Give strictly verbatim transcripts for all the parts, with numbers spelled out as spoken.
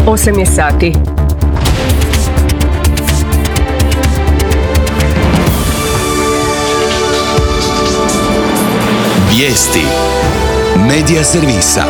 osam je sati. Vijesti Medija servisa.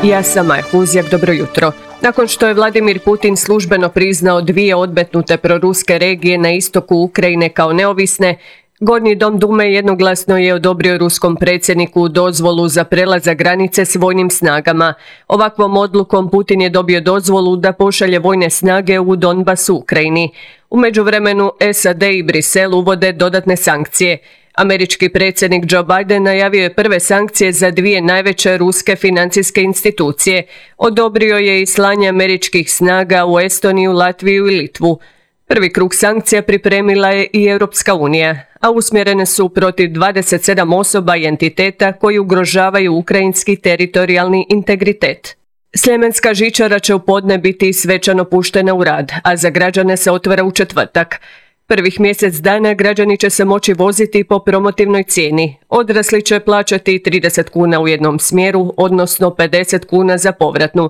Ja sam Maja Huzjak, dobro jutro. Nakon što je Vladimir Putin službeno priznao dvije odmetnute proruske regije na istoku Ukrajine kao neovisne, Gornji dom Dume jednoglasno je odobrio ruskom predsjedniku dozvolu za prelazak granice s vojnim snagama. Ovakvom odlukom Putin je dobio dozvolu da pošalje vojne snage u Donbas u Ukrajini. U međuvremenu S A D i Brisel uvode dodatne sankcije. Američki predsjednik Joe Biden najavio je prve sankcije za dvije najveće ruske financijske institucije. Odobrio je i slanje američkih snaga u Estoniju, Latviju i Litvu. Prvi krug sankcija pripremila je i Europska unija, a usmjerene su protiv dvadeset sedam osoba i entiteta koji ugrožavaju ukrajinski teritorijalni integritet. Sljemenska žičara će u podne biti svečano puštena u rad, a za građane se otvara u četvrtak. Prvih mjesec dana građani će se moći voziti po promotivnoj cijeni. Odrasli će plaćati trideset kuna u jednom smjeru, odnosno pedeset kuna za povratnu.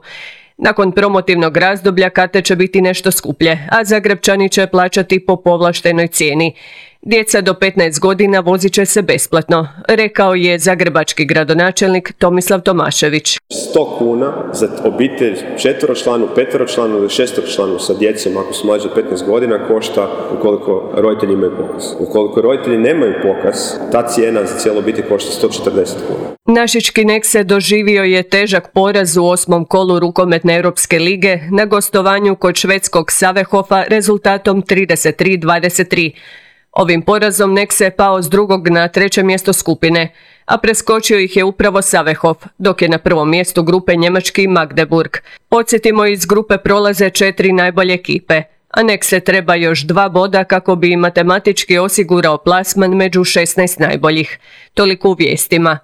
Nakon promotivnog razdoblja karte će biti nešto skuplje, a Zagrepčani će plaćati po povlaštenoj cijeni. Djeca do petnaest godina vozit će se besplatno, rekao je zagrebački gradonačelnik Tomislav Tomašević. sto kuna za obitelj četveročlanu, peteročlanu ili šesteročlanu sa djecom ako su mlađe od petnaest godina košta ukoliko roditelji imaju pokaz. Ukoliko roditelji nemaju pokaz, ta cijena za cijelu obitelj košta sto četrdeset kuna. Našički Nexe doživio je težak poraz u osmom kolu rukometne Europske lige na gostovanju kod švedskog Savehofa rezultatom trideset tri dvadeset tri. Ovim porazom Nexe je pao s drugog na treće mjesto skupine, a preskočio ih je upravo Savehof, dok je na prvom mjestu grupe njemački Magdeburg. Podsjetimo, iz grupe prolaze četiri najbolje ekipe, a Nexe treba još dva boda kako bi matematički osigurao plasman među šesnaest najboljih. Toliko u vijestima.